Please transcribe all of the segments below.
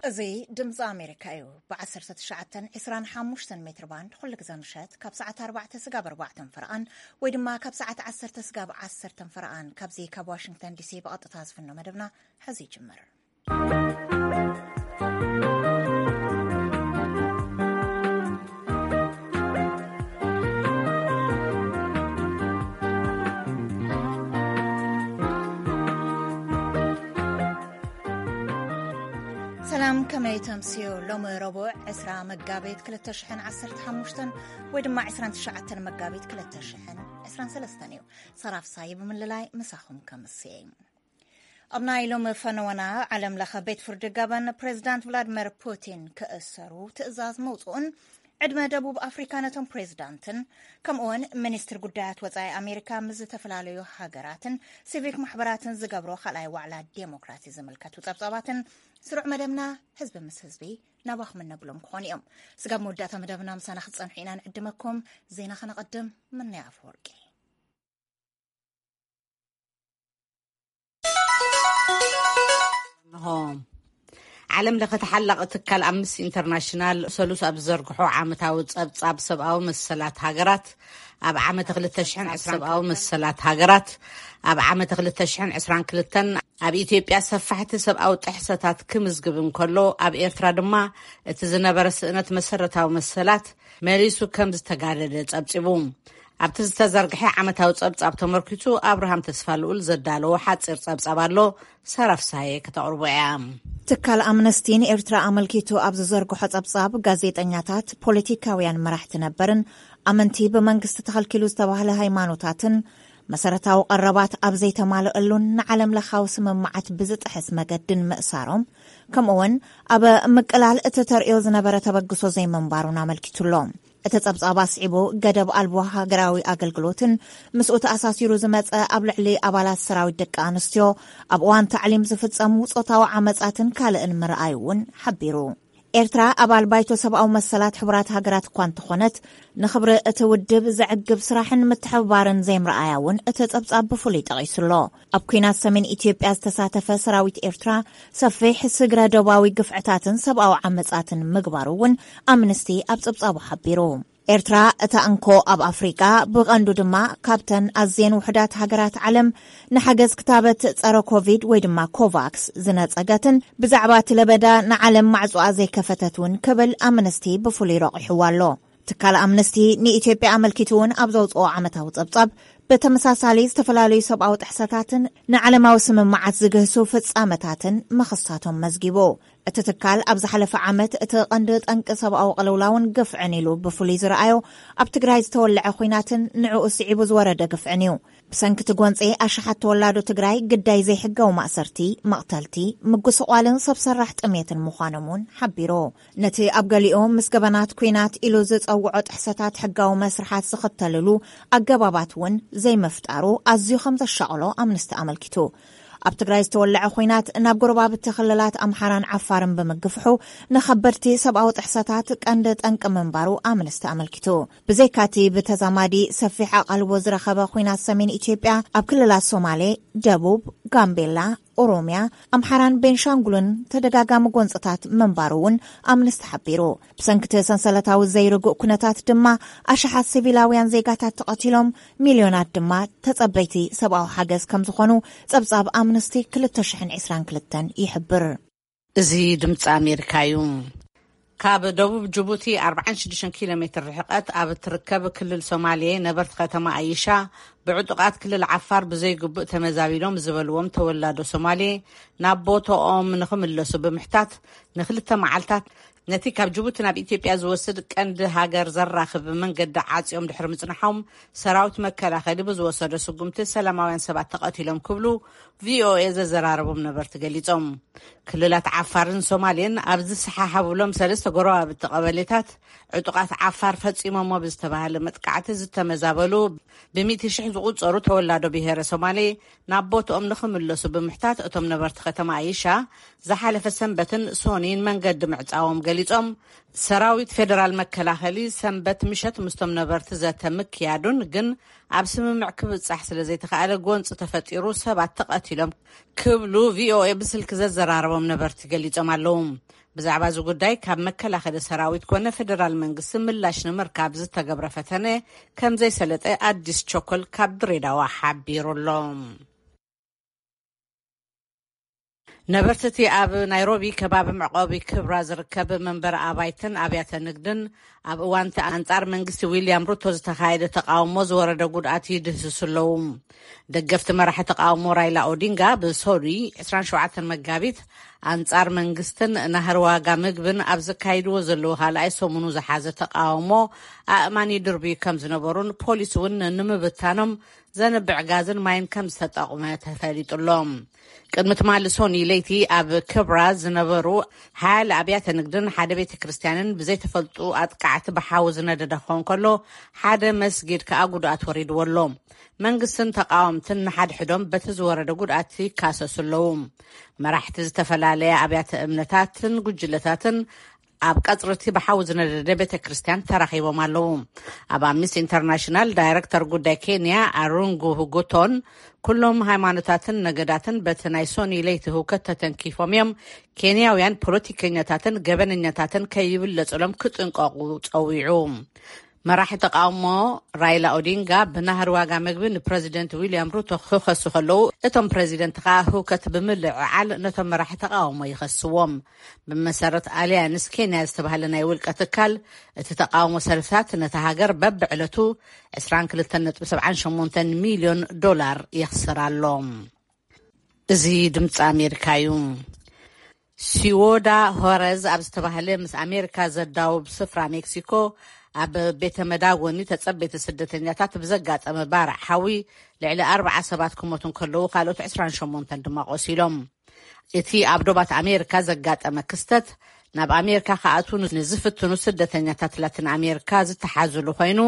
እዚ ድምፂ ኣሜሪካ እዩ። ብ1925 ሜትር ባንድ ኩሉ ግዜ ምሸት ካብ ሰዓት ኣርባዕተ ስጋብ ኣርባዕተን ፈረቓን ወይ ድማ ካብ ሰዓት ዓሰርተ ስጋብ ዓሰርተን ፈረቓን ካብዚ ካብ ዋሽንግተን ዲሲ ብቐጥታ ዝፍኖ መደብና ሕዚ ይጅምር። ሰላም፣ ከመይ ተምስዮ? ሎሚ ረቡዕ ዕስራ መጋቢት ክልተ ሽሕን ዓሰርተ ሓሙሽተን ወይ ድማ ዕስራን ትሽዓተን መጋቢት ክልተ ሽሕን ዕስራን ሰለስተን እዩ። ሰራፍ ሳይ ብምልላይ ምሳኹም ከምስየ። ኣብ ናይ ሎሚ ፈነወና፣ ዓለም ለኸ ቤት ፍርዲ ገበን ፕሬዚዳንት ቭላድሚር ፑቲን ክእሰሩ ትእዛዝ መውፅኡን ዕድመ ደቡብ ኣፍሪካ ነቶም ፕሬዚዳንትን ከምኡውን ሚኒስትር ጉዳያት ወፃኢ ኣሜሪካ ምስ ዝተፈላለዩ ሃገራትን ሲቪክ ማሕበራትን ዝገብሮ ካልኣይ ዋዕላ ዴሞክራሲ ዝምልከቱ ፀብፃባትን ስሩዕ መደብና ህዝቢ ምስ ህዝቢ ናባኹም እነብሎም ክኾኑ እዮም። ስጋብ መወዳእታ መደብና ምሳና ክትፀንሑ ኢና ንዕድመኩም። ዜና ከነቐድም። ምንያ ኣፈወርቂ። ዓለም ለኸ ተሓላቒ ትካል ኣምነስቲ ኢንተርናሽናል ሰሉስ ኣብ ዝዘርግሖ ዓመታዊ ጸብጻብ ሰብኣዊ መሰላት ሃገራት ኣብ ዓመተ ክልተ ሽሕን ዕስራን ሰብኣዊ መሰላት ሃገራት ኣብ ዓመተ ክልተ ሽሕን ዕስራን ክልተን ኣብ ኢትዮጵያ ሰፋሕቲ ሰብኣዊ ጥሕሰታት ክምዝግብ እንከሎ፣ ኣብ ኤርትራ ድማ እቲ ዝነበረ ስእነት መሰረታዊ መሰላት መሊሱ ከም ዝተጋደደ ጸብጺቡ። ኣብቲ ዝተዘርግሐ ዓመታዊ ጸብጻብ ተመርኪቱ ኣብርሃም ተስፋልኡል ዘዳለዎ ሓጺር ጸብጻብ ኣሎ። ሰራፍሳየ ከተቕርቦ እያ። ትካል ኣምነስቲ ንኤርትራ ኣመልኪቱ ኣብ ዝዘርግሖ ጸብጻብ፣ ጋዜጠኛታት፣ ፖለቲካውያን መራሕቲ ነበርን ኣመንቲ ብመንግስቲ ተኸልኪሉ ዝተባህለ ሃይማኖታትን መሰረታዊ ቀረባት ኣብ ዘይተማልአሉን ንዓለም ለኻዊ ስምምዓት ብዝጥሕስ መገድን ምእሳሮም፣ ከምኡውን ኣብ ምቅላል እቲ ተርእዮ ዝነበረ ተበግሶ ዘይምንባሩን ኣመልኪቱሎ። እቲ ጸብጻብ ኣስዒቡ፣ ገደብ ኣልቦ ሃገራዊ ኣገልግሎትን ምስኡ ተኣሳሲሩ ዝመጸ ኣብ ልዕሊ ኣባላት ሰራዊት ደቂ ኣንስትዮ ኣብ እዋን ታዕሊም ዝፍጸሙ ጾታዊ ዓመጻትን ካልእን ምርኣዩ እውን ሓቢሩ። ኤርትራ ኣባል ባይቶ ሰብኣዊ መሰላት ሕቡራት ሃገራት እኳ እንተኾነት፣ ንኽብሪ እቲ ውድብ ዘዕግብ ስራሕን ምትሕብባርን ዘይምርኣያ እውን እቲ ጸብጻብ ብፍሉይ ጠቒሱሎ። ኣብ ኲናት ሰሜን ኢትዮጵያ ዝተሳተፈ ሰራዊት ኤርትራ፣ ሰፊሕ ስግረ ዶባዊ ግፍዕታትን ሰብኣዊ ዓመጻትን ምግባሩ እውን ኣምነስቲ ኣብ ጸብጻቡ ሓቢሩ። ኤርትራ፣ እታ እንኮ ኣብ ኣፍሪቃ፣ ብቐንዱ ድማ ካብተን ኣዝየን ውሑዳት ሃገራት ዓለም፣ ንሓገዝ ክታበት ጸረ ኮቪድ ወይ ድማ ኮቫክስ ዝነጸገትን ብዛዕባ እቲ ለበዳ ንዓለም ማዕጾኣ ዘይከፈተት እውን ክብል ኣምነስቲ ብፍሉይ ረቑሕዋ ኣሎ። ትካል ኣምነስቲ ንኢትዮጵያ ኣመልኪቱ እውን ኣብ ዘውጽኦ ዓመታዊ ጸብጻብ፣ ብተመሳሳሊ ዝተፈላለዩ ሰብኣዊ ጥሕሰታትን ንዓለማዊ ስምምዓት ዝግህሱ ፍጻመታትን ምኽሳቶም መዝጊቡ። እቲ ትካል ኣብ ዝሓለፈ ዓመት እቲ ቀንዲ ጠንቂ ሰብኣዊ ቅልውላውን ግፍዕን ኢሉ ብፍሉይ ዝረኣዮ ኣብ ትግራይ ዝተወልዐ ኹናትን ንዕኡ ስዒቡ ዝወረደ ግፍዕን እዩ። ብሰንኪ እቲ ጎንፂ ኣሽሓት ተወላዶ ትግራይ ግዳይ ዘይሕጋዊ ማእሰርቲ፣ መቕተልቲ፣ ምጉስቋልን ሰብ ሰራሕ ጥሜትን ምዃኖም እውን ሓቢሩ። ነቲ ኣብ ገሊኡ ምስ ገበናት ኲናት ኢሉ ዝፀውዖ ጥሕሰታት ሕጋዊ መስርሓት ዝኽተልሉ ኣገባባት እውን ዘይምፍጣሩ ኣዝዩ ከም ዘሻቕሎ ኣምነስቲ ኣመልኪቱ። ኣብ ትግራይ ዝተወለዐ ኹናት ናብ ጎረባብቲ ክልላት ኣምሓራን ዓፋርን ብምግፍሑ ንኸበድቲ ሰብኣዊ ጥሕሰታት ቀንዲ ጠንቂ ምንባሩ ኣምነስቲ ኣመልኪቱ። ብዘይካቲ ብተዛማዲ ሰፊሕ ኣቓልቦ ዝረኸበ ኹናት ሰሜን ኢትዮጵያ ኣብ ክልላት ሶማሌ፣ ደቡብ፣ ጋምቤላ፣ ኦሮሚያ፣ ኣምሓራን ቤንሻንጉልን ተደጋጋሚ ጎንፅታት ምንባሩ እውን ኣምነስቲ ሓቢሩ። ብሰንክቲ ሰንሰለታዊ ዘይርጉእ ኩነታት ድማ ኣሽሓት ሲቪላውያን ዜጋታት ተቐቲሎም፣ ሚልዮናት ድማ ተጸበይቲ ሰብኣዊ ሓገዝ ከም ዝኾኑ ጸብጻብ ኣምነስቲ ክልተ ሽሕን ዕስራን ክልተን ይሕብር። እዚ ድምፂ ኣሜሪካ እዩ። ካብ ደቡብ ጅቡቲ ኣርባዓን ሽዱሽተን ኪሎ ሜትር ርሕቀት ኣብ እትርከብ ክልል ሶማሌ፣ ነበርቲ ከተማ ኣይሻ ብዕጡቓት ክልል ዓፋር ብዘይግቡእ ተመዛቢሎም ዝበልዎም ተወላዶ ሶማሌ ናብ ቦታኦም ንኽምለሱ ብምሕታት፣ ንክልተ መዓልታት ነቲ ካብ ጅቡቲ ናብ ኢትዮጵያ ዝወስድ ቀንዲ ሃገር ዘራኽብ መንገዲ ዓጽዮም ድሕሪ ምጽናሖም፣ ሰራዊት መከላኸሊ ብዝወሰዶ ስጉምቲ ሰላማውያን ሰባት ተቐቲሎም ክብሉ ቪኦኤ ዘዘራረቦም ነበርቲ ገሊጾም። ክልላት ዓፋርን ሶማሌን ኣብ ዝሰሓሓብሎም ሰለስተ ጎረባብቲ ቀበሌታት፣ ዕጡቓት ዓፋር ፈጺሞሞ ብዝተባህለ መጥቃዕቲ ዝተመዛበሉ ብሚእቲ ሽሕ ዝቑጸሩ ተወላዶ ብሄረ ሶማሌ ናብ ቦትኦም ንኽምለሱ ብምሕታት፣ እቶም ነበርቲ ከተማ ኣይሻ ዝሓለፈ ሰንበትን ሶኒን መንገዲ ምዕጻዎም ገሊጾም። ሰራዊት ፌደራል መከላኸሊ ሰንበት ምሸት ምስቶም ነበርቲ ዘተ ምክያዱን ግን ኣብ ስምምዕ ክብጻሕ ስለ ዘይተኻእለ ጎንጺ ተፈጢሩ ሰባት ተቐቲሎም ክብሉ ቪኦኤ ብስልኪ ዘዘራረቦም ነበርቲ ገሊጾም ኣለዉ። ብዛዕባ እዚ ጉዳይ ካብ መከላኸሊ ሰራዊት ኮነ ፌደራል መንግስቲ ምላሽ ንምርካብ ዝተገብረ ፈተነ ከም ዘይሰለጠ ኣዲስ ቸኮል ካብ ድሬዳዋ ሓቢሩ ኣሎ። ነበርቲ እቲ ኣብ ናይሮቢ ከባቢ መዕቆቢ ክብራ ዝርከብ መንበሪ ኣባይትን ኣብያተ ንግድን ኣብ እዋን እቲ ኣንጻር መንግስቲ ዊልያም ሩቶ ዝተኻየደ ተቃውሞ ዝወረደ ጉድኣት ይድህስሱ ኣለዉ። ደገፍቲ መራሒ ተቃውሞ ራይላ ኦዲንጋ ብሶሪ ዕስራን ሸውዓተን መጋቢት ኣንጻር መንግስትን ናህሪ ዋጋ ምግብን ኣብ ዘካይድዎ ዘለዉ ካልኣይ ሰሙኑ ዝሓዘ ተቃውሞ ኣእማን ይድርብዩ ከም ዝነበሩን ፖሊስ እውን ንምብታኖም ዘንብዕ ጋዝን ማይን ከም ዝተጠቕመ ተፈሊጡ ኣሎ። ቅድሚ ትማሊ ሶኒ ለይቲ ኣብ ክብራ ዝነበሩ ሓያለ ኣብያተ ንግድን ሓደ ቤተ ክርስቲያንን ብዘይተፈልጡ ኣጥቃዕቲ ብሓዊ ዝነደደ ክኸውን ከሎ ሓደ መስጊድ ከኣ ጉድኣት ወሪድዎ ኣሎ። መንግስትን ተቃወምትን ንሓድሕዶም በቲ ዝወረደ ጉድኣት ይካሰሱ ኣለዉ። መራሕቲ ዝተፈላለየ ኣብያተ እምነታትን ጉጅለታትን ኣብ ቀጽሪ እቲ ብሓዊ ዝነደደ ቤተ ክርስቲያን ተራኺቦም ኣለዉ። ኣብ ኣምነስቲ ኢንተርናሽናል ዳይረክተር ጉዳይ ኬንያ ኣሩንጉ ሁጉቶን ኩሎም ሃይማኖታትን ነገዳትን በቲ ናይ ሶኒ ለይቲ ህውከት ተተንኪፎም እዮም። ኬንያውያን ፖለቲከኛታትን ገበነኛታትን ከይብለጹሎም ክጥንቀቑ ጸዊዑ። መራሒ ተቃውሞ ራይላ ኦዲንጋ ብናህሪ ዋጋ ምግቢ ንፕረዚደንት ዊልያም ሩቶ ክኸሱ ከለዉ፣ እቶም ፕረዚደንት ከኣ ህውከት ብምልዕዓል ነቶም መራሒ ተቃውሞ ይኸስዎም። ብመሰረት ኣልያንስ ኬንያ ዝተባህለ ናይ ውልቀ ትካል፣ እቲ ተቃውሞ ሰልፍታት ነታ ሃገር በብዕለቱ ዕስራን ክልተን ነጥቢ ሰብዓን ሸሞንተን ሚልዮን ዶላር የኽስር ኣሎ። እዚ ድምፂ ኣሜሪካ እዩ። ሲዎዳ ሆረዝ ኣብ ዝተባህለ ምስ ኣሜሪካ ዘዳውብ ስፍራ ሜክሲኮ ኣብ ቤተ መዳጎኒ ተጸበይቲ ስደተኛታት ብዘጋጠመ ባርዕ ሓዊ ልዕሊ ኣርብዓ ሰባት ክሞቱ እንከለዉ ካልኦት ዕስራን ሸሞንተን ድማ ቆሲሎም። እቲ ኣብ ዶባት ኣሜሪካ ዘጋጠመ ክስተት ናብ ኣሜሪካ ክኣትዉ ንዝፍትኑ ስደተኛታት ላቲን ኣሜሪካ ዝተሓዙሉ ኮይኑ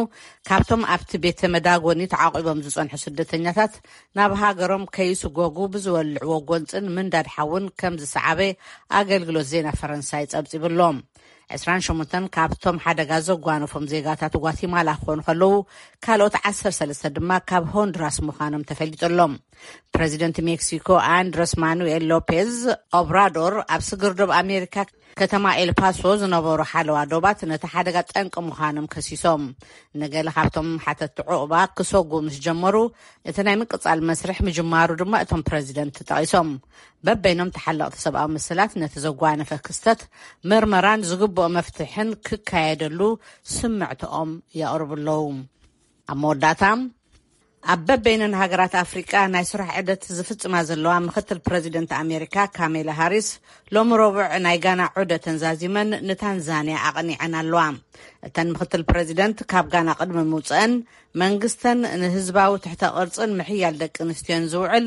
ካብቶም ኣብቲ ቤተ መዳጎኒ ተዓቂቦም ዝጸንሑ ስደተኛታት ናብ ሃገሮም ከይስጎጉ ብዝወልዕዎ ጎንጽን ምንዳድ ሓውን ከም ዝሰዓበ ኣገልግሎት ዜና ፈረንሳይ ጸብጺቡ ኣሎ። ዕስራን ሸሞንተን ካብቶም ሓደጋ ዘጓነፎም ዜጋታት ጓቲማላ ክኾኑ ከለዉ ካልኦት ዓሰርተ ሰለስተ ድማ ካብ ሆንዱራስ ምዃኖም ተፈሊጡ ኣሎ። ፕረዚደንት ሜክሲኮ ኣንድረስ ማኑኤል ሎፔዝ ኦብራዶር ኣብ ስግር ዶብ ኣሜሪካ ከተማ ኤልፓሶ ዝነበሩ ሓለዋ ዶባት ነቲ ሓደጋ ጠንቂ ምዃኖም ከሲሶም። ንገለ ካብቶም ሓተቲ ዑቕባ ክሰጉ ምስ ጀመሩ እቲ ናይ ምቅጻል መስርሕ ምጅማሩ ድማ እቶም ፕረዚደንት ጠቒሶም። በበይኖም ተሓለቕቲ ሰብኣዊ መሰላት ነቲ ዘጓነፈ ክስተት ምርመራን ዝግብኦ መፍትሕን ክካየደሉ ስምዕትኦም የቕርቡ ኣለዉ። ኣብ መወዳእታ ኣብ በበይነን ሃገራት ኣፍሪቃ ናይ ስራሕ ዕደት ዝፍጽማ ዘለዋ ምክትል ፕረዚደንት ኣሜሪካ ካሜላ ሃሪስ ሎሚ ረቡዕ ናይ ጋና ዑደተን ዛዚመን ንታንዛንያ ኣቕኒዐን ኣለዋ። እተን ምክትል ፕረዚደንት ካብ ጋና ቅድሚ ምውፅአን መንግስተን ንህዝባዊ ትሕተ ቅርፅን ምሕያል ደቂ ኣንስትዮን ዝውዕል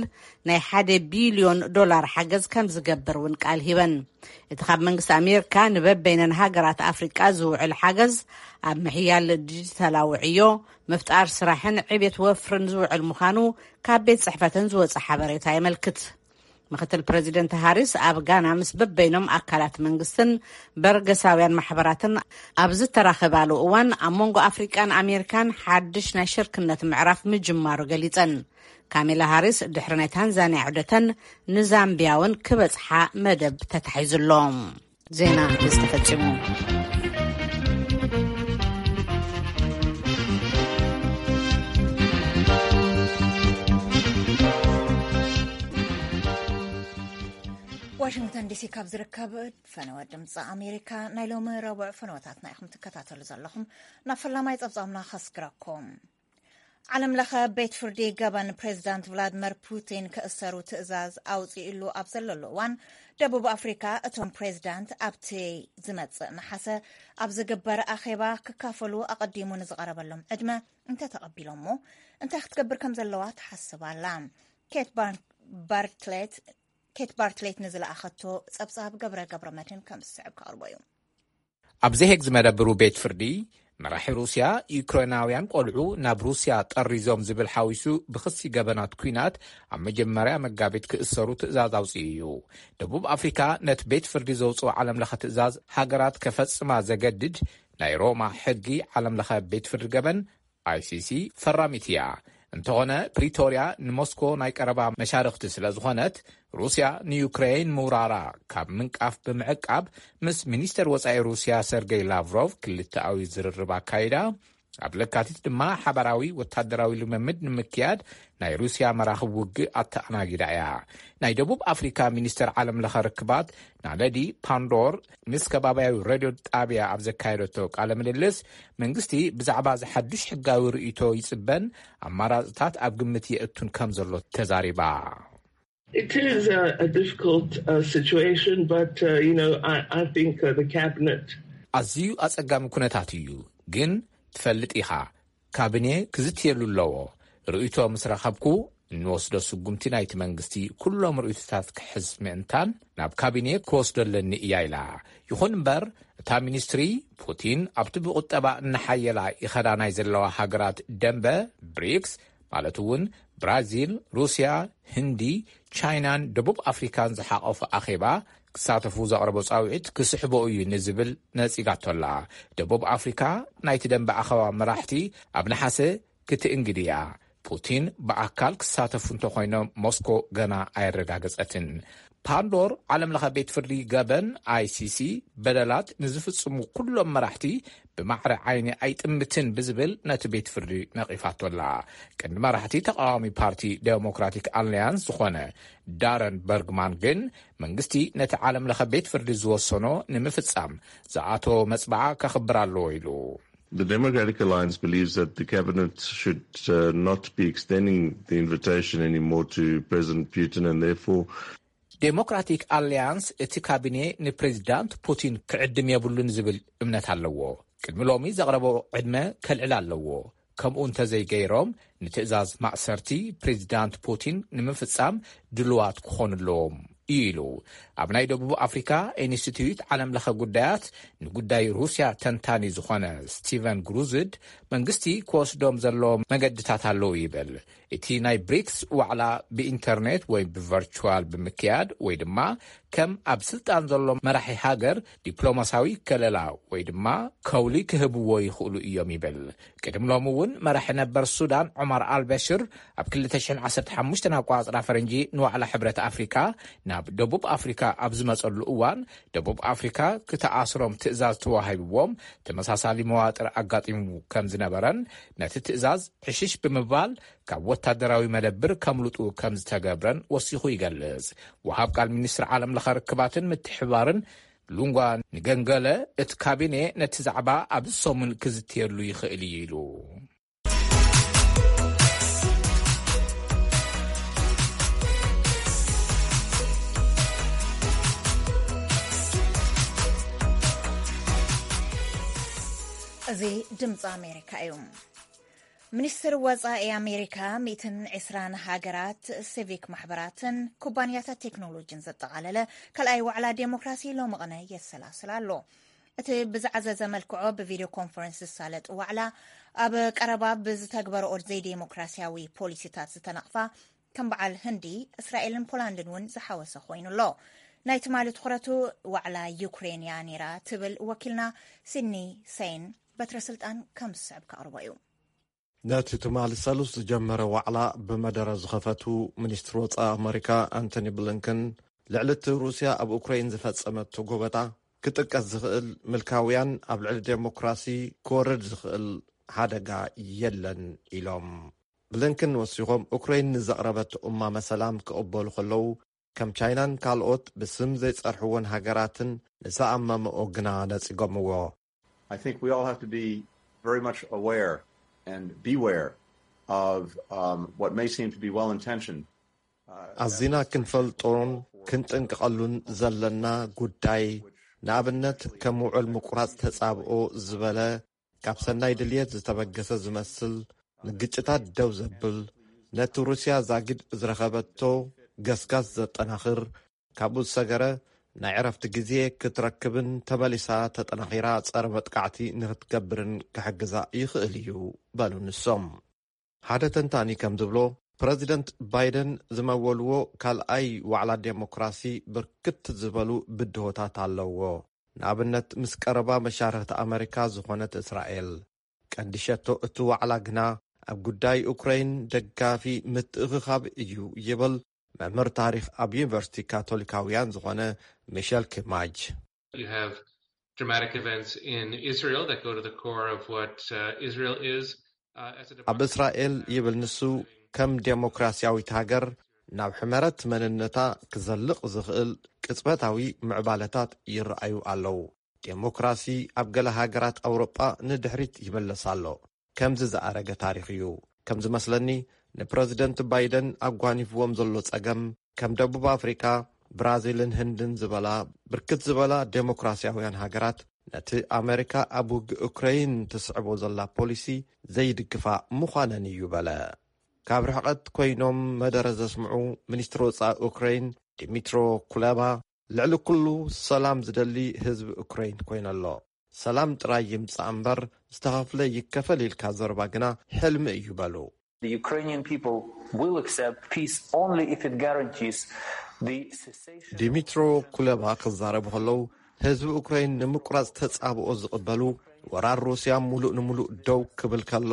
ናይ ሓደ ቢልዮን ዶላር ሓገዝ ከም ዝገብር እውን ቃል ሂበን። እቲ ካብ መንግስቲ ኣሜሪካ ንበበይነን ሃገራት ኣፍሪቃ ዝውዕል ሓገዝ ኣብ ምሕያል ዲጂታላዊ ዕዮ፣ ምፍጣር ስራሕን ዕቤት ወፍርን ዝውዕል ምዃኑ ካብ ቤት ጽሕፈተን ዝወጸ ሓበሬታ የመልክት። ምክትል ፕረዚደንት ሃሪስ ኣብ ጋና ምስ በበይኖም ኣካላት መንግስትን በርገሳውያን ማሕበራትን ኣብ ዝተራኸባሉ እዋን ኣብ መንጎ ኣፍሪቃን ኣሜሪካን ሓድሽ ናይ ሽርክነት ምዕራፍ ምጅማሩ ገሊጸን። ካሜላ ሃሪስ ድሕሪ ናይ ታንዛንያ ዑደተን ንዛምቢያ እውን ክበጽሓ መደብ ተታሒዙ ኣሎ። ዜና ዝተፈጺሙ። ዋሽንግተን ዲሲ ካብ ዝርከብ ፈነወ ድምፂ ኣሜሪካ ናይ ሎሚ ረቡዕ ፈነወታትና ኢኹም ትከታተሉ ዘለኹም። ናብ ፈላማይ ጸብጻብና ከስግረኩም። ዓለም ለኸ ቤት ፍርዲ ገበን ፕሬዚዳንት ቭላድመር ፑቲን ክእሰሩ ትእዛዝ ኣውፂእሉ ኣብ ዘለሉ እዋን፣ ደቡብ ኣፍሪካ እቶም ፕሬዚዳንት ኣብቲ ዝመፅእ ነሓሰ ኣብ ዝግበር ኣኼባ ክካፈሉ ኣቐዲሙ ንዝቐረበሎም ዕድመ እንተተቐቢሎሞ እንታይ ክትገብር ከም ዘለዋ ትሓስብ ኣላ። ኬት ባር- ባርትሌት ኬት ባርትሌት ንዝለኣኸቶ ጸብጻብ ገብረ ገብረ መድህን ከም ዝስዕብ ከቕርቦ እዩ። ኣብ ዘሄግ ዝመደብሩ ቤት ፍርዲ፣ መራሒ ሩስያ ዩክሬናውያን ቆልዑ ናብ ሩስያ ጠሪዞም ዝብል ሓዊሱ ብኽሲ ገበናት ኲናት ኣብ መጀመርያ መጋቢት ክእሰሩ ትእዛዝ ኣውፅኡ እዩ። ደቡብ ኣፍሪካ ነቲ ቤት ፍርዲ ዘውፅኦ ዓለም ለኸ ትእዛዝ ሃገራት ከፈፅማ ዘገድድ ናይ ሮማ ሕጊ ዓለም ለኸ ቤት ፍርዲ ገበን ኣይሲሲ ፈራሚት እያ። እንተኾነ ፕሪቶርያ ንሞስኮ ናይ ቀረባ መሻርኽቲ ስለ ዝኾነት፣ ሩስያ ንዩክሬን ምውራራ ካብ ምንቃፍ ብምዕቃብ፣ ምስ ሚኒስተር ወጻኢ ሩስያ ሰርገይ ላቭሮቭ ክልተኣዊ ዝርርብ ኣካይዳ። ኣብ ለካቲት ድማ ሓባራዊ ወታደራዊ ልምምድ ንምክያድ ናይ ሩስያ መራኽብ ውግእ ኣተኣናጊዳ እያ። ናይ ደቡብ ኣፍሪካ ሚኒስተር ዓለም ለኸ ርክባት ናለዲ ፓንዶር ምስ ከባቢያዊ ሬድዮ ጣቢያ ኣብ ዘካየደቶ ቃለ ምልልስ፣ መንግስቲ ብዛዕባ ዝሓዱሽ ሕጋዊ ርእይቶ ይጽበን ኣማራጽታት ኣብ ግምት የእቱን ከም ዘሎ ተዛሪባ። It is a, a difficult uh, situation, but uh, you know, I, I think uh, the cabinet. ኣዝዩ ኣጸጋሚ ኩነታት እዩ፣ ግን ትፈልጥ ኢኻ፣ ካቢኔ ክዝትየሉ ኣለዎ። ርእይቶ ምስ ረኸብኩ፣ እንወስዶ ስጉምቲ ናይቲ መንግስቲ ኩሎም ርእይቶታት ክሕዝ ምእንታን ናብ ካቢኔ ክወስዶ ኣለኒ እያ ኢላ። ይኹን እምበር፣ እታ ሚኒስትሪ፣ ፑቲን ኣብቲ ብቁጠባ እናሓየላ ይኸዳ ናይ ዘለዋ ሃገራት ደንበ ብሪክስ፣ ማለት እውን ብራዚል፣ ሩስያ፣ ህንዲ፣ ቻይናን ደቡብ ኣፍሪካን ዝሓቐፉ ኣኼባ ክሳተፉ ዘቕረቦ ጻውዒት ክስሕቦ እዩ ንዝብል ነጺጋቶ ኣላ። ደቡብ ኣፍሪካ ናይቲ ደንበ ኣኸባ መራሕቲ ኣብ ነሓሰ ክትእንግድ እያ። ፑቲን ብኣካል ክሳተፉ እንተኮይኖም፣ ሞስኮ ገና ኣየረጋገጸትን። ፓንዶር ዓለም ለኸ ቤት ፍርዲ ገበን፣ ኣይሲሲ፣ በደላት ንዝፍጽሙ ኩሎም መራሕቲ ብማዕረ ዓይኒ ኣይጥምትን ብዝብል ነቲ ቤት ፍርዲ ነቒፋቶ ኣላ። ቀንዲ መራሕቲ ተቃዋሚ ፓርቲ ዴሞክራቲክ ኣሊያንስ ዝኾነ ዳረን በርግማን ግን፣ መንግስቲ ነቲ ዓለም ለኸ ቤት ፍርዲ ዝወሰኖ ንምፍጻም ዝኣተዎ መጽብዓ ከኽብር ኣለዎ ኢሉ። The Democratic Alliance believes that the cabinet should uh, not be extending the invitation anymore to President Putin, and therefore ዴሞክራቲክ ኣሊያንስ እቲ ካቢኔ ንፕሬዚዳንት ፑቲን ክዕድም የብሉን ዝብል እምነት ኣለዎ። ቅድሚ ሎሚ ዘቕረቦ ዕድመ ከልዕል ኣለዎ። ከምኡ እንተዘይገይሮም፣ ንትእዛዝ ማእሰርቲ ፕሬዚዳንት ፑቲን ንምፍጻም ድልዋት ክኾኑ ኣለዎም እዩ ኢሉ። ኣብ ናይ ደቡብ ኣፍሪካ ኢንስቲትዩት ዓለም ለኸ ጉዳያት ንጉዳይ ሩስያ ተንታኒ ዝኾነ ስቲቨን ግሩዝድ፣ መንግስቲ ክወስዶም ዘለዎ መገድታት ኣለዉ ይብል። እቲ ናይ ብሪክስ ዋዕላ ብኢንተርኔት ወይ ብቨርቹዋል ብምክያድ ወይ ድማ ከም ኣብ ስልጣን ዘሎ መራሒ ሃገር ዲፕሎማሳዊ ከለላ ወይ ድማ ከውሊ ክህብዎ ይኽእሉ እዮም ይብል። ቅድም ሎም እውን መራሒ ነበር ሱዳን ዑማር ኣልበሽር ኣብ ክልተ ሽሕን ዓሰርተ ሓሙሽተን ኣቋጽራ ፈረንጂ ንዋዕላ ሕብረት ኣፍሪካ ናብ ደቡብ ኣፍሪካ ኣብ ዝመጸሉ እዋን፣ ደቡብ ኣፍሪካ ክትኣስሮም ትእዛዝ ተዋሂብዎም ተመሳሳሊ መዋጥር ኣጋጢሙ ከም ዝነበረን፣ ነቲ ትእዛዝ ዕሽሽ ብምባል ካብ ወታደራዊ መደብር ከምልጡ ከም ዝተገብረን ወሲኹ ይገልጽ። ወሃብ ቃል ሚኒስትሪ ዓለም ለኸ ርክባትን ምትሕባርን ሉንጓ ንገንገለ፣ እቲ ካቢኔ ነቲ ዛዕባ ኣብዚ ሰሙን ክዝትየሉ ይኽእል እዩ ኢሉ። እዚ ድምፂ ኣሜሪካ እዩ። ሚኒስትር ወፃኢ ኣሜሪካ ሚእትን ዕስራን ሃገራት፣ ሲቪክ ማሕበራትን ኩባንያታት ቴክኖሎጂን ዘጠቓለለ ካልኣይ ዋዕላ ዴሞክራሲ ሎሚ ቅነ የሰላስል ኣሎ። እቲ ብዝዓዘዘ መልክዖ ብቪድዮ ኮንፈረንስ ዝሳለጥ ዋዕላ፣ ኣብ ቀረባ ብዝተግበረኦ ዘይዴሞክራሲያዊ ፖሊሲታት ዝተነቕፋ ከም በዓል ህንዲ፣ እስራኤልን ፖላንድን እውን ዝሓወሰ ኮይኑ ኣሎ። ናይ ትማሊ ትኹረቱ ዋዕላ ዩክሬን እያ ነይራ ትብል ወኪልና ሲድኒ ሰይን፣ በትረ ስልጣን ከም ዝስዕብ ከቕርቦ እዩ። ነቲ ትማሊ ሰሉስ ዝጀመረ ዋዕላ ብመደረ ዝኸፈቱ ሚኒስትር ወፃኢ ኣመሪካ ኣንቶኒ ብሊንከን፣ ልዕሊ እቲ ሩስያ ኣብ ኡክራይን ዝፈጸመቶ ጎበጣ ክጥቀስ ዝኽእል፣ ምልካውያን ኣብ ልዕሊ ዴሞክራሲ ክወርድ ዝኽእል ሓደጋ የለን ኢሎም። ብሊንከን ወሲኾም፣ ኡክራይን ንዘቕረበቶ እማመ ሰላም ክቕበሉ ከለዉ፣ ከም ቻይናን ካልኦት ብስም ዘይጸርሕወን ሃገራትን ንዝኣመመኦ ግና ነጺጎምዎ። I think we all have to be very much aware and beware of um, what may seem to be well intentioned. ኣዚና ክንፈልጦን ክንጥንቀቐሉን ዘለና ጉዳይ፣ ንኣብነት ከም ውዕል ምቁራጽ ተጻብኦ ዝበለ፣ ካብ ሰናይ ድልየት ዝተበገሰ ዝመስል፣ ንግጭታት ደው ዘብል፣ ነቲ ሩስያ ዛጊድ ዝረኸበቶ ገስጋስ ዘጠናኽር፣ ካብኡ ዝሰገረ ናይ ዕረፍቲ ግዜ ክትረክብን ተመሊሳ ተጠናኺራ ጸረ መጥቃዕቲ ንክትገብርን ክሕግዛ ይኽእል እዩ በሉ ንሶም። ሓደ ተንታኒ ከም ዝብሎ፣ ፕረዚደንት ባይደን ዝመወልዎ ካልኣይ ዋዕላ ዴሞክራሲ ብርክት ዝበሉ ብድሆታት ኣለዎ። ንኣብነት ምስ ቀረባ መሻርኽቲ ኣመሪካ ዝኾነት እስራኤል። ቀንዲ ሸቶ እቲ ዋዕላ ግና ኣብ ጉዳይ ኡክረይን ደጋፊ ምትእኽኻብ እዩ ይብል መምህር ታሪኽ ኣብ ዩኒቨርሲቲ ካቶሊካውያን ዝኾነ ሚሸል ኪማጅ። You have dramatic events in Israel that go to the core of what uh, Israel is uh, as a ኣብ እስራኤል ይብል ንሱ ከም ዴሞክራሲያዊት ሃገር ናብ ሕመረት መንነታ ክዘልቕ ዝኽእል ቅጽበታዊ ምዕባለታት ይረኣዩ ኣለዉ። ዴሞክራሲ ኣብ ገለ ሃገራት ኣውሮጳ ንድሕሪት ይምለስ ኣሎ። ከምዚ ዝኣረገ ታሪኽ እዩ። ከም ዝመስለኒ ንፕረዚደንት ባይደን ኣጓኒፍዎም ዘሎ ጸገም ከም ደቡብ ኣፍሪካ፣ ብራዚልን ህንድን ዝበላ ብርክት ዝበላ ዴሞክራሲያውያን ሃገራት ነቲ ኣመሪካ ኣብ ውግእ ኡክረይን ትስዕቦ ዘላ ፖሊሲ ዘይድግፋ ምዃነን እዩ በለ። ካብ ርሕቐት ኮይኖም መደረ ዘስምዑ ሚኒስትሪ ወጻኢ ኡክረይን ዲሚትሮ ኩለባ፣ ልዕሊ ኩሉ ሰላም ዝደሊ ህዝቢ ኡክረይን ኮይነ ኣሎ። ሰላም ጥራይ ይምጻእ እምበር ዝተኸፍለ ይከፈል ኢልካ ዘረባ ግና ሕልሚ እዩ በሉ። The Ukrainian people will accept peace only if it guarantees the cessation ዲሚትሮ ኩለባ ክዛረቡ ከለዉ፣ ህዝቢ ኡክረይን ንምቁራጽ ተጻብኦ ዝቕበሉ፣ ወራር ሩስያ ሙሉእ ንምሉእ ደው ክብል ከሎ፣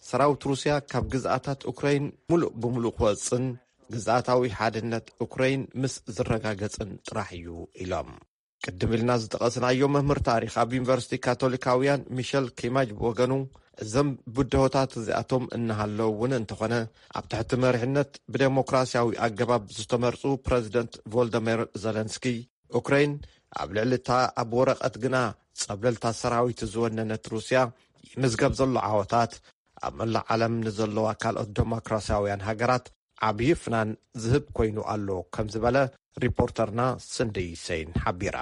ሰራዊት ሩስያ ካብ ግዝኣታት ኡክረይን ሙሉእ ብምሉእ ክወጽን ግዝኣታዊ ሓድነት ኡክረይን ምስ ዝረጋገጽን ጥራሕ እዩ ኢሎም። ቅድም ኢልና ዝጠቐስናዮ መምህር ታሪኽ ኣብ ዩኒቨርሲቲ ካቶሊካውያን ሚሸል ኪማጅ ብወገኑ፣ እዞም ብድሆታት እዚኣቶም እናሃለዉ እውን እንተኾነ፣ ኣብ ትሕቲ መሪሕነት ብዴሞክራሲያዊ ኣገባብ ዝተመርጹ ፕረዚደንት ቮልደሚር ዘለንስኪ፣ ኡክረይን ኣብ ልዕሊ እታ ኣብ ወረቐት ግና ጸብለልታ ሰራዊት ዝወነነት ሩስያ ይምዝገብ ዘሎ ዓወታት፣ ኣብ መላእ ዓለም ንዘለዋ ካልኦት ዴሞክራሲያውያን ሃገራት ዓብዪ ፍናን ዝህብ ኮይኑ ኣሎ ከም ዝበለ ሪፖርተርና ስንዲ ሰይን ሓቢራ።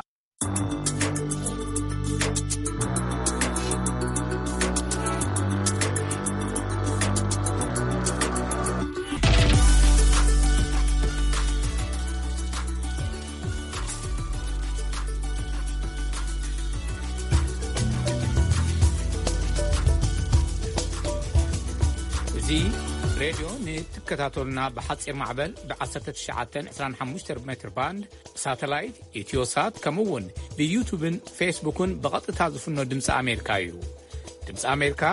እዚ ሬድዮ ንትከታተሉና ብሓጺር ማዕበል ብ1925 ሜትር ባንድ፣ ብሳተላይት፣ ኢትዮሳት፣ ከምኡ እውን ብዩቱብን ፌስቡክን ብቐጥታ ዝፍኖ ድምፂ ኣሜሪካ እዩ። ድምፂ ኣሜሪካ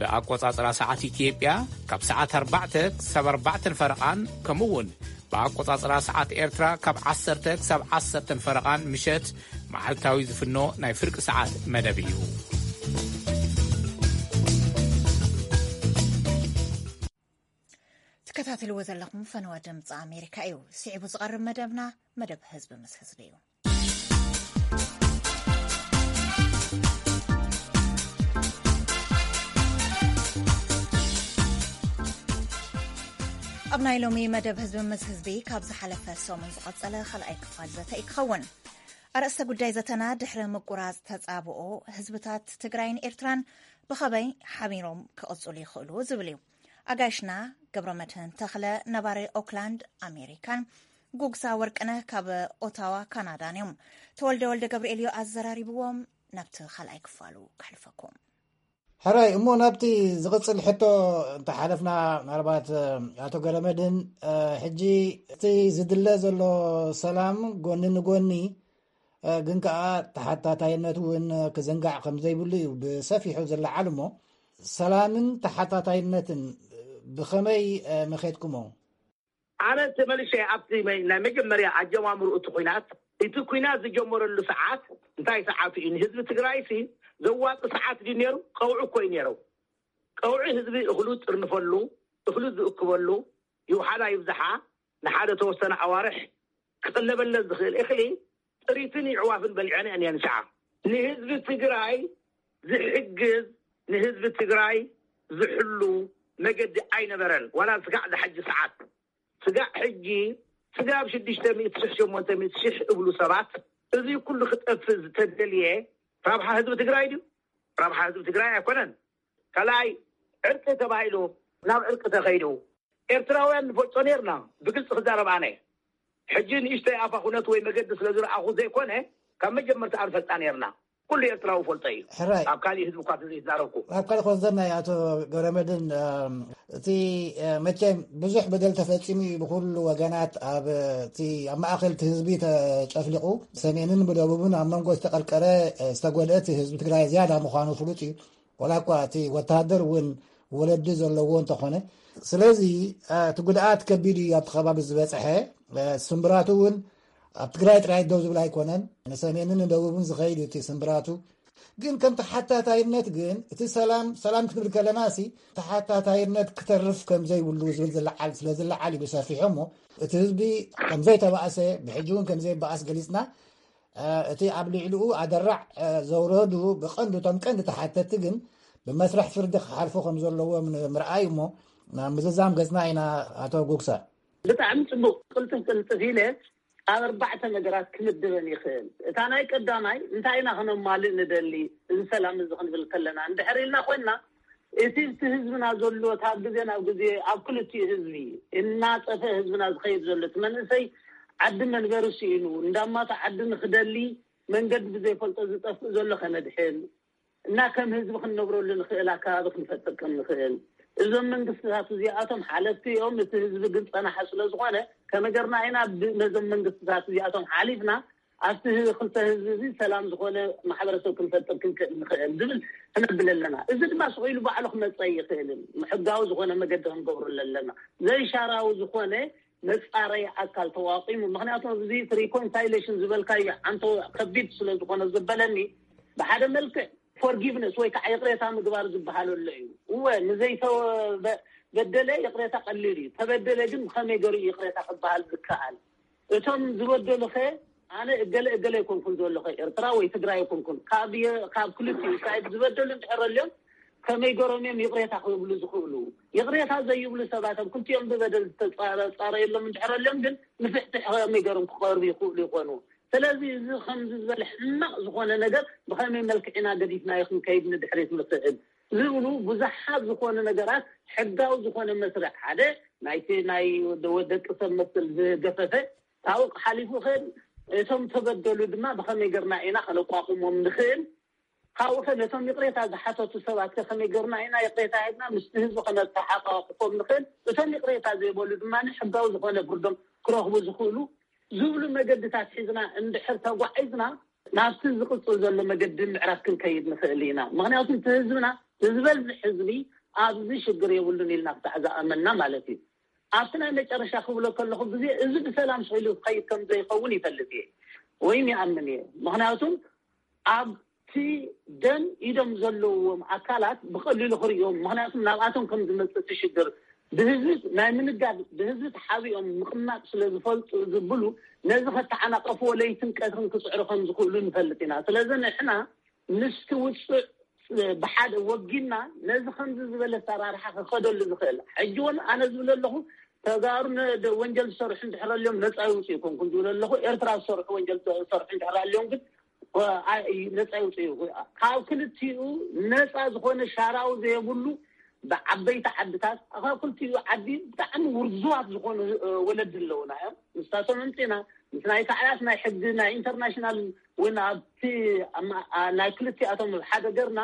ብኣቆጻጽራ ሰዓት ኢትዮጵያ ካብ ሰዓት ኣርባዕተ ክሳብ ኣርባዕተን ፈረቓን፣ ከምኡ እውን ብኣቆጻጽራ ሰዓት ኤርትራ ካብ ዓሰርተ ክሳብ ዓሰርተን ፈረቓን ምሸት መዓልታዊ ዝፍኖ ናይ ፍርቂ ሰዓት መደብ እዩ። ትከታተልዎ ዘለኹም ፈነወ ድምፂ ኣሜሪካ እዩ። ስዒቡ ዝቐርብ መደብና መደብ ህዝቢ ምስ ህዝቢ እዩ። ኣብ ናይ ሎሚ መደብ ህዝቢ ምስ ህዝቢ ካብ ዝሓለፈ ሰሙን ዝቐጸለ ካልኣይ ክፋል ዘተ እዩ ክኸውን። ኣርእስተ ጉዳይ ዘተና ድሕሪ ምቁራጽ ተጻብኦ ህዝብታት ትግራይን ኤርትራን ብኸመይ ሓቢሮም ክቕጽሉ ይኽእሉ ዝብል እዩ። ኣጋይሽና ገብረመድህን ተኽለ ነባሪ ኦክላንድ ኣሜሪካን ጉግሳ ወርቅነህ ካብ ኦታዋ ካናዳን እዮም። ተወልደ ወልደ ገብርኤል እዩ ኣዘራሪብዎም። ናብቲ ካልኣይ ክፋሉ ከሕልፈኩም። ሕራይ እሞ ናብቲ ዝቕጽል ሕቶ እንተሓለፍና፣ ምናልባት ኣቶ ገረመድን፣ ሕጂ እቲ ዝድለ ዘሎ ሰላም ጎኒ ንጎኒ፣ ግን ከኣ ተሓታታይነት እውን ክዝንጋዕ ከም ዘይብሉ እዩ ብሰፊሑ ዝለዓል። እሞ ሰላምን ተሓታታይነትን ብኸመይ መኼድኩሞ? ኣነ ተመልሸ ኣብቲ መ-፣ ናይ መጀመርያ ኣጀማምሩ እቲ ኲናት፣ እቲ ኲናት ዝጀመረሉ ሰዓት እንታይ ሰዓቱ እዩ? ንህዝቢ ትግራይ ሲ ዘዋጽእ ሰዓት ድዩ ነይሩ? ቀውዒ እኮ እዩ ነይሩ። ቀውዒ ህዝቢ እኽሉ ዝጥርንፈሉ፣ እኽሉ ዝእክበሉ፣ ይውሓዳ ይብዝሓ፣ ንሓደ ተወሰነ ኣዋርሕ ክቕለበለን ዝኽእል እኽሊ ጥሪትን ይዕዋፍን በሊዐን እየን እየን ሸዓ። ንህዝቢ ትግራይ ዝሕግዝ፣ ንህዝቢ ትግራይ ዝሕሉ መገዲ ኣይነበረን። ዋላ ስጋዕ ዝሓጂ ሰዓት፣ ስጋዕ ሕጂ፣ ስጋብ ሽዱሽተ ሚእቲ ሽሕ፣ ሸሞንተ ሚእቲ ሽሕ እብሉ ሰባት፣ እዚ ኩሉ ክጠፍእ ዝተደልየ ረብሓ ህዝቢ ትግራይ ድዩ? ረብሓ ህዝቢ ትግራይ ኣይኮነን። ካልኣይ፣ ዕርቂ ተባሂሉ ናብ ዕርቂ ተኸይዱ። ኤርትራውያን ንፈልጦ ነርና፣ ብግልፂ ክዛረብ ኣነ። ሕጂ ንእሽተይ ኣፋ ኩነት ወይ መገዲ ስለ ዝረኣኹ ዘይኮነ፣ ካብ መጀመርታ ኣንፈልጣ ነርና። ኩሉ ኤርትራዊ ፈልጦ እዩ። ሕራይ። ኣብ ካሊእ ህዝቢ እኳ ዘይዛረብኩ። ኣብ ካልእ ኮንሰርናይ ኣቶ ገብረመድህን፣ እም፣ እቲ፣ እ፣ መቸም ብዙሕ በደል ተፈጺሙ እዩ ብኩሉ ወገናት። ኣብ፣ እቲ ኣብ ማእከል እቲ ህዝቢ ተጨፍሊቑ፣ ሰሜንን ብደቡብን ኣብ መንጎ ዝተቐርቀረ፣ እ፣ ዝተጎድአ እቲ ህዝቢ ትግራይ ዝያዳ ምዃኑ ፍሉጥ እዩ። ዋላ እኳ እቲ ወተሃደር እውን ወለዲ ዘለዎ እንተኾነ። ስለዚ እቲ ጉድኣት ከቢድ እዩ ኣብቲ ከባቢ ዝበፅሐ። ስምብራቱ እውን ኣብ ትግራይ ጥራይ ደው ዝብል ኣይኮነን፣ ንሰሜንን ንደቡብን ዝኸይድ እዩ እቲ ስምብራቱ። ግን ከም ተሓታታይነት ግን እቲ ሰላም ሰላም ክንብል ከለና ሲ ተሓታታይነት ክተርፍ ከም ዘይብሉ ዝብል ዝለዓል ስለ ዝለዓል እዩ ብሰፊሑ እሞ፣ እቲ ህዝቢ ከም ዘይተባእሰ፣ ብሕጂ እውን ከም ዘይበኣስ ገሊፅና። እቲ ኣብ ልዕሊኡ ኣደራዕ ዘውረዱ ብቐንዱ እቶም ቀንዲ ተሓተቲ ግን ብመስርሕ ፍርዲ ክሓልፉ ከም ዘለዎም ንምርኣይ እሞ ናብ ምዝዛም ገፅና ኢና። ኣቶ ጉግሳ። ብጣዕሚ ፅቡቅ። ቅልጥፍ ቅልጥፍ ኢለ ኣብ ኣርባዕተ ነገራት ክምድበን ይኽእል። እታ ናይ ቀዳማይ እንታይ ኢና ክነማልእ ንደሊ፣ እዚ ሰላም እዚ ክንብል ከለና እንድሕር ኢልና ኮይንና፣ እቲ እቲ ህዝብና ዘሎ ካብ ግዜ ናብ ግዜ ኣብ ክልቲኡ ህዝቢ እናጠፈ ህዝብና ዝኸይድ ዘሎ፣ እቲ መንእሰይ ዓዲ መንበሪ ስኢኑ እንዳማቱ ዓዲ ንክደሊ መንገዲ ብዘይፈልጦ ዝጠፍእ ዘሎ ከነድሕን እና ከም ህዝቢ ክንነብረሉ ንኽእል ኣከባቢ ክንፈጥር ከም ንኽእል እዞም መንግስትታት እዚኣቶም ሓለፍቲ እዮም። እቲ ህዝቢ ግን ፀናሓ ስለ ዝኾነ ከመገርና ኢና ብ- ነዞም መንግስትታት እዚኣቶም ሓሊፍና ኣብቲ ህ- ክልተ ህዝቢ እዚ ሰላም ዝኾነ ማሕበረሰብ ክንፈጥር ክንክእል ንኽእል ዝብል ክነብል ኣለና። እዚ ድማ ስቕ ኢሉ ባዕሉ ክመፀ ይኽእልን ሕጋዊ ዝኾነ መገዲ ክንገብሩ ኣለና። ዘይሻራዊ ዝኾነ መፃረይ ኣካል ተዋቂሙ። ምክንያቱ እዚ ሪኮንሳይሌሽን ዝበልካዮ ሓንቶ ከቢድ ስለ ዝኾነ ዘበለኒ ብሓደ መልክዕ ፎርጊቭነስ ወይ ከዓ ይቕሬታ ምግባር ዝበሃል ኣሎ እዩ። እወ ንዘይተበደለ ይቕሬታ ቀሊል እዩ። ተበደለ ግን ብኸመይ ገሩ ይቕሬታ ክበሃል ዝከኣል? እቶም ዝበደሉኸ ኣነ እገለ እገለ ኣይኮንኩን ዘለኹ ኤርትራ ወይ ትግራይ ኣይኮንኩን። ካብ የ- ካብ ክልቲኡ ሳይድ ዝበደሉ እንድሕር ኣልዮም ከመይ ገሮም እዮም ይቕሬታ ክብሉ ዝኽእሉ? ይቕሬታ ዘይብሉ ሰባት ኣብ ክልቲኦም ብበደል ዝተፃረየሎም እንድሕር ኣልዮም ግን ንፍትሒ ከመይ ገሮም ክቐርቡ ይኽእሉ ይኾኑ? ስለዚ እዚ ከምዚ ዝበለ ሕማቕ ዝኾነ ነገር ብኸመይ መልክዕ ኢና ገዲፍናዮ ክንከይድ ንድሕሪት ንኽእል ዝብሉ ብዙሓት ዝኾኑ ነገራት ሕጋዊ ዝኾነ መስርሕ ሓደ ናይቲ ናይ ወደ- ደቂ ሰብ መስል ዝገፈፈ ካብኡ ሓሊፉ ኸ እቶም ተበደሉ ድማ ብኸመይ ገርና ኢና ከነቋቁሞም ንኽእል? ካብኡ ኸ ነቶም ይቕሬታ ዝሓተቱ ሰባት ከ ከመይ ገርና ኢና ይቕሬታ ሂብና ምስቲ ህዝቢ ከነተሓቃቅፎም ንኽእል? እቶም ይቕሬታ ዘይበሉ ድማ ሕጋዊ ዝኾነ ፍርዶም ክረኽቡ ዝኽእሉ ዝብሉ መገድታት ሒዝና እንድሕር ተጓዒዝና ናብቲ ዝቕፅል ዘሎ መገዲ ምዕራፍ ክንከይድ ንኽእል ኢና። ምክንያቱ እቲ ህዝብና ዝበዝሕ ህዝቢ ኣብዚ ሽግር የብሉን ኢልና ክሳዕ ዝኣመና ማለት እዩ። ኣብቲ ናይ መጨረሻ ክብሎ ከለኹ ግዜ እዚ ብሰላም ስኢሉ ክኸይድ ከም ዘይኸውን ይፈልጥ እየ ወይም ይኣምን እየ። ምክንያቱም ኣብቲ ደም ኢዶም ዘለዎም ኣካላት ብቐሊሉ ክርእዮም፣ ምክንያቱም ናብኣቶም ከም ዝመፅእ እቲ ሽግር ብህዝቢ ናይ ምንጋድ ብህዝቢ ተሓቢኦም ምቕማጥ ስለ ዝፈልጡ ዝብሉ ነዚ ከተዓናቀፍዎ ለይትን ቀትርን ክፅዕሩ ከም ዝኽእሉ ንፈልጥ ኢና። ስለዚ ንሕና ምስቲ ውፅዕ ብሓደ ወጊና ነዚ ከምዚ ዝበለ ኣሰራርሓ ክኸደሉ ዝኽእል ሕጂ እውን ኣነ ዝብል ኣለኹ ተጋሩ ወንጀል ዝሰርሑ እንድሕር ኣልዮም ነፃ ይውፅኡ ይኮንኩን ዝብል ኣለኹ። ኤርትራ ዝሰርሑ ወንጀል ዝሰርሑ እንድሕር ኣልዮም ግን ነፃ ይውፅኡ። ካብ ክልቲኡ ነፃ ዝኾነ ሻራዊ ዘየብሉ ብዓበይቲ ዓድታት ካብ ክልቲኡ ዓዲ ብጣዕሚ ውርዙዋት ዝኾኑ ወለዲ ኣለውና እዮም። ንሳቶም ኣምፂና ምስ ናይ ታዕያት ናይ ሕጊ ናይ ኢንተርናሽናል እውን ኣብቲ ናይ ክልቲኣቶም ሓደ ገርና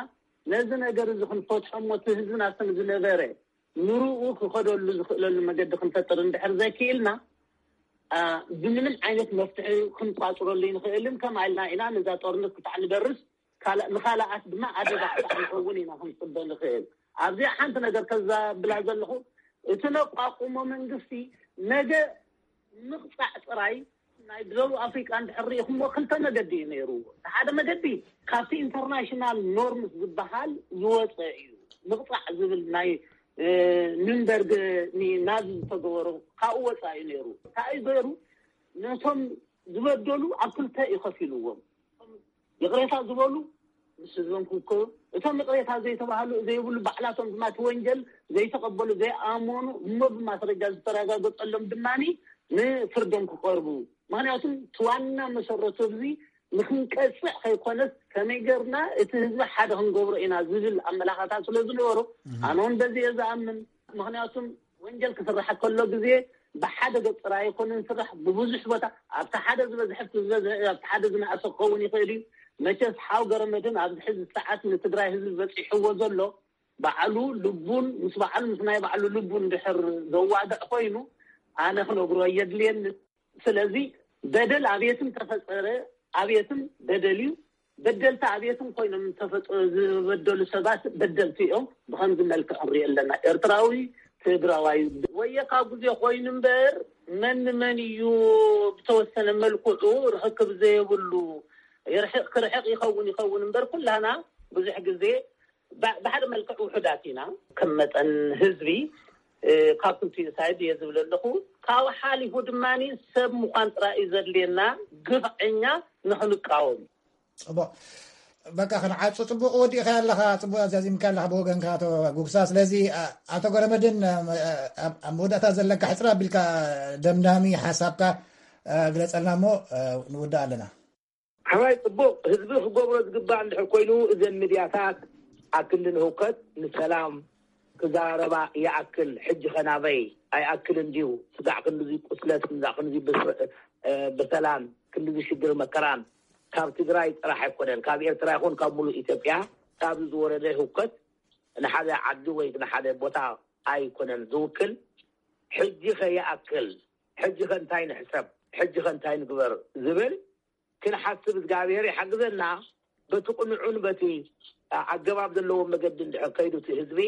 ነዚ ነገር እዚ ክንፈትሖ እሞ እቲ ህዝብና ከም ዝነበረ ንርኡ ክኸደሉ ዝኽእለሉ መገዲ ክንፈጥር እንድሕር ዘኪኢልና ብምንም ዓይነት መፍትሒ ክንቋፅረሉ ይንኽእልን ከም ኣልና ኢና ነዛ ጦርነት ክታዕ ንደርስ ንኻልኣት ድማ ኣደጋ ክታዕ ንኸውን ኢና ክንፅበ ንኽእል። ኣብዚኣ ሓንቲ ነገር ከዛብላ ዘለኹ እቲ ነቋቁሞ መንግስቲ ነገ ምቕፃዕ ጥራይ ናይ ደቡብ ኣፍሪቃ እንድሕር ርኢኹምዎ ክልተ መገዲ እዩ ነይሩ። ሓደ መገዲ ካብቲ ኢንተርናሽናል ኖርምስ ዝበሃል ዝወፀ እዩ። ምቕፃዕ ዝብል ናይ ኑንበርግ ናዚ ዝተገበሩ ካብኡ ወፃ እዩ ነይሩ። እንታይ እዩ ገይሩ? ነቶም ዝበደሉ ኣብ ክልተ እዩ ከፊልዎም። ይቕሬታ ዝበሉ ምስ ህዝቦም ክውከሉ፣ እቶም ይቕሬታ ዘይተባህሉ ዘይብሉ ባዕላቶም ድማ እቲ ወንጀል ዘይተቐበሉ ዘይኣመኑ እሞ ብማስረጃ ዝተረጋገፀሎም ድማ ንፍርዶም ክቐርቡ። ምክንያቱም እቲ ዋና መሰረቱ እዚ ንክንቀፅዕ ከይኮነስ ከመይ ገርና እቲ ህዝቢ ሓደ ክንገብሮ ኢና ዝብል ኣመላኻታት ስለ ዝነበሩ ኣነ እውን በዚ እየ ዝኣምን። ምክንያቱም ወንጀል ክስራሕ ከሎ ግዜ ብሓደ ገፅ ጥራይ ኣይኮነን ዝስራሕ፣ ብብዙሕ ቦታ ኣብቲ ሓደ ዝበዝሐ ኣብቲ ዝበዝሐ ኣብቲ ሓደ ዝነኣሰ ክኸውን ይኽእል እዩ። መቸስ ሓው ገረመድህን ኣብዚ ሕዚ ሰዓት ንትግራይ ህዝቢ በፂሕዎ ዘሎ ባዕሉ ልቡን ምስ ባዕሉ ምስ ናይ ባዕሉ ልቡ እንድሕር ዘዋግዕ ኮይኑ ኣነ ክነግሮ የድልየኒ። ስለዚ በደል ኣቤትም ተፈፀረ ኣቤትም በደል እዩ። በደልቲ ኣብየትን ኮይኖም ዝተፈጠ ዝበደሉ ሰባት በደልቲ እዮም። ብኸምዚ መልክዕ ንሪኦ ኣለና። ኤርትራዊ ትግራዋይ ወየ ካብ ግዜ ኮይኑ እምበር መን ንመን እዩ ብተወሰነ መልክዑ ርክክብ ዘየብሉ ይርሕቕ ክርሕቕ ይኸውን ይኸውን እምበር ኩላና ብዙሕ ግዜ ብ- ብሓደ መልክዕ ውሑዳት ኢና። ከም መጠን ህዝቢ እ፣ ካብ ክልቲኡ ሳይድ እየ ዝብል ኣለኹ። ካብ ሓሊፉ ድማ ሰብ ምዃን ጥራይ እዩ ዘድልየና። ግፍዐኛ ንኽንቃወም ጽቡቕ። በቃ ክንዓጹ። ጽቡቕ ወዲእካ ኣለኻ፣ ጽቡቕ ኣዛዚምካ ኣለኻ ብወገንካ ኣቶ ጉግሳ። ስለዚ ኣ- ኣቶ ገረመድን ኣ- ኣብ ኣብ መወዳእታ ዘለካ ሕጽር ኣቢልካ ደምዳሚ ሓሳብካ ኣ፣ ግለጸልና እሞ ኣ፣ ንውዳእ ኣለና። ሓራይ ጽቡቕ። ህዝቢ ክገብሮ ዝግባእ እንድሕር ኮይኑ እዘን ሚድያታት ኣክንዲ ንህውከት ንሰላም ክዘራረባ ይኣክል። ሕጂ ኸ ናበይ ኣይኣክልን ድዩ? ስጋዕ ክንድዚ ቁስለት፣ ስጋዕ ክንድዚ ብስ- እ፣ ብሰላም ክንድዚ ሽግር መከራን ካብ ትግራይ ጥራሕ ኣይኮነን፣ ካብ ኤርትራ ይኹን ካብ ሙሉእ ኢትዮጵያ ካብዚ ዝወረደ ህውከት ንሓደ ዓዲ ወይ ንሓደ ቦታ ኣይኮነን ዝውክል። ሕጂ ኸ ይኣክል፣ ሕጂ ኸ እንታይ ንሕሰብ፣ ሕጂ ኸ እንታይ ንግበር ዝብል ክንሓስብ እግዚኣብሔር ይሓግዘና። በቲ ቅኑዑን በቲ ኣገባብ ዘለዎ መገዲ እንድሕር ከይዱ እቲ ህዝቢ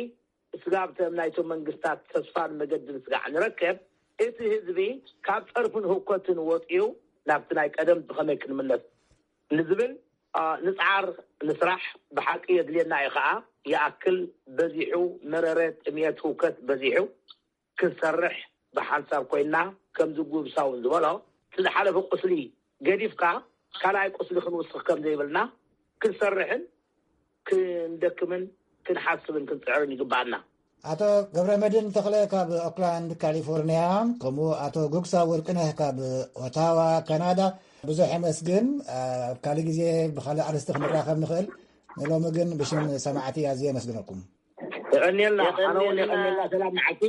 ስጋብ ተም ናይቶም መንግስታት ተስፋን መገድን ስጋዕ ንረከብ፣ እቲ ህዝቢ ካብ ጸርፍን ህውከትን ወፂኡ ናብቲ ናይ ቀደም ብኸመይ ክንምለስ ንዝብል ኣ፣ ንፅዓር ንስራሕ። ብሓቂ የድልየና እዩ ከዓ። ይኣክል በዚሑ፣ መረረ፣ ጥምየት፣ ህውከት በዚሑ። ክንሰርሕ ብሓንሳብ ኮይና ከምዚ ጉብሳውን ዝበሎ እቲ ዝሓለፈ ቁስሊ ገዲፍካ ካልኣይ ቁስሊ ክንውስኽ ከም ዘይብልና ክንሰርሕን ክንደክምን ክንሓስብን ክንፅዕርን ይግባኣና። ኣቶ ገብረመድን ተኽለ ካብ ኦክላንድ ካሊፎርኒያ፣ ከምኡ ኣቶ ጉግሳ ወርቅነህ ካብ ኦታዋ ካናዳ፣ ብዙሕ የመስግን። ኣብ ካልእ ግዜ ብኻልእ ኣርእስቲ ክንራኸብ ንኽእል። ንሎሚ ግን ብሽም ሰማዕቲ ኣዝየ የመስግነኩም። የቐንየልና። ኣነ እውን የቐንየልና። ሰላም መዓልቲ።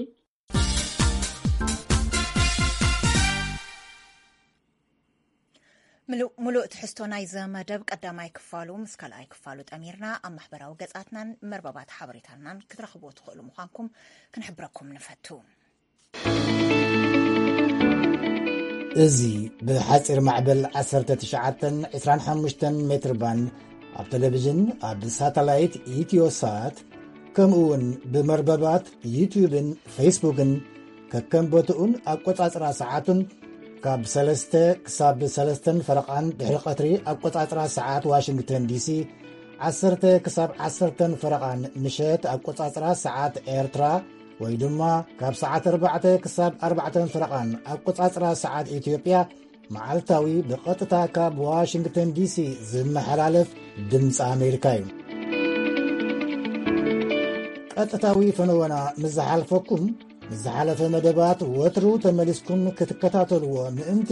ምሉእ ትሕዝቶ ናይዚ መደብ ቀዳማይ ክፋሉ ምስ ካልኣይ ክፋሉ ጠሚርና ኣብ ማሕበራዊ ገጻትናን መርበባት ሓበሬታናን ክትረኽብዎ ትኽእሉ ምዃንኩም ክንሕብረኩም ንፈቱ። እዚ ብሓጺር ማዕበል ዓሰርተ ትሽዓተን ዕስራን ሓሙሽተን ሜትር ባንድ ኣብ ቴሌቪዥን፣ ኣብ ሳተላይት ኢትዮሳት፣ ከምኡ እውን ብመርበባት ዩትዩብን ፌስቡክን ከከም ቦትኡን ኣቆጻጽራ ሰዓቱን ካብ ሰለስተ ክሳብ ሰለስተን ፈረቓን ድሕሪ ቀትሪ ኣቆጻጽራ ሰዓት ዋሽንግተን ዲሲ፣ ዓሰርተ ክሳብ ዓሰርተን ፈረቓን ምሸት ኣቆጻጽራ ሰዓት ኤርትራ፣ ወይ ድማ ካብ ሰዓት ኣርባዕተ ክሳብ ኣርባዕተን ፈረቓን ኣቆጻጽራ ሰዓት ኢትዮጵያ፣ መዓልታዊ ብቐጥታ ካብ ዋሽንግተን ዲሲ ዝመሓላለፍ ድምፂ ኣሜሪካ እዩ። ቀጥታዊ ፈነወና ምስ ዝሓልፈኩም፣ ምስ ዝሓለፈ መደባት ወትሩ ተመሊስኩም ክትከታተልዎ ምእንቲ፣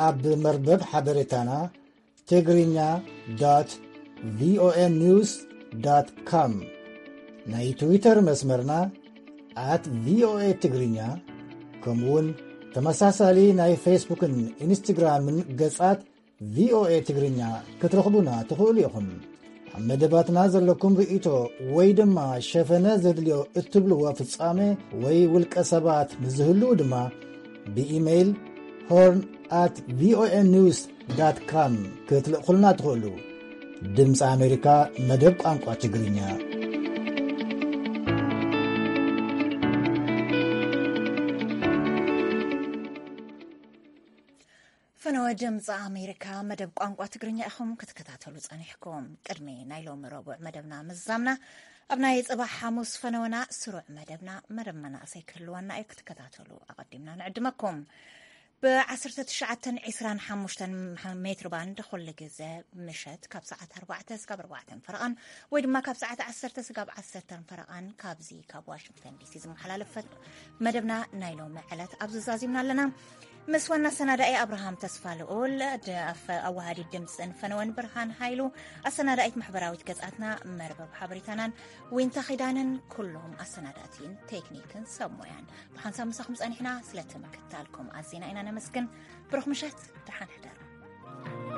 ኣብ መርበብ ሓበሬታና ትግርኛ ዶት ቪኦኤ ኒውስ ዶት ኮም፣ ናይ ትዊተር መስመርና ኣት ቪኦኤ ትግርኛ፣ ከምኡውን ተመሳሳሊ ናይ ፌስቡክን ኢንስትግራምን ገጻት ቪኦኤ ትግርኛ ክትረኽቡና ትኽእሉ ኢኹም። ኣብ መደባትና ዘለኩም ርእይቶ ወይ ድማ ሸፈነ ዘድልዮ እትብልዎ ፍጻመ ወይ ውልቀ ሰባት ምስ ዝህልዉ ድማ ብኢሜይል ሆርን ኣት ቪኦኤ ኒውስ ዳት ካም ክትልእኹልና ትኽእሉ። ድምፂ ኣሜሪካ መደብ ቋንቋ ትግርኛ። ፈነወ ድምፂ ኣሜሪካ መደብ ቋንቋ ትግርኛ ኢኹም ክትከታተሉ ጸኒሕኩም። ቅድሚ ናይ ሎሚ ረቡዕ መደብና ምዝዛምና፣ ኣብ ናይ ጽባሕ ሓሙስ ፈነወና ስሩዕ መደብና፣ መደብ መናእሰይ ክህልወና እዩ፣ ክትከታተሉ ኣቐዲምና ንዕድመኩም። ብ ዓሰርተ ትሽዓተን ዕስራን ሓሙሽተን ሜትር ባንድ ኩሉ ግዜ ምሸት ካብ ሰዓት ኣርባዕተ ስጋብ ኣርባዕተን ፈረቓን ወይ ድማ ካብ ሰዓት ዓሰርተ ስጋብ ዓሰርተን ፈረቓን ካብዚ ካብ ዋሽንግተን ዲሲ ዝመሓላለፍ መደብና ናይ ሎሚ ዕለት ኣብዚ ዛዚምና ኣለና። ምስ ዋና ኣሰናዳኢ ኣብርሃም ተስፋ ልኡል፣ ኣዋሃዲ ድምፅን ፈነወን ብርሃን ሃይሉ፣ ኣሰናዳኢት ማሕበራዊት ገጻትና መርበብ ሓበሬታናን ዊንታ ኺዳንን፣ ኩሎም ኣሰናዳእቲን ቴክኒክን ሰብ ሞያን ብሓንሳብ ምሳኹም ጸኒሕና። ስለ ትምክታልኩም ኣዚና ኢና ነመስግን። ብሩኽ ምሸት፣ ደሓን ሕደሩ።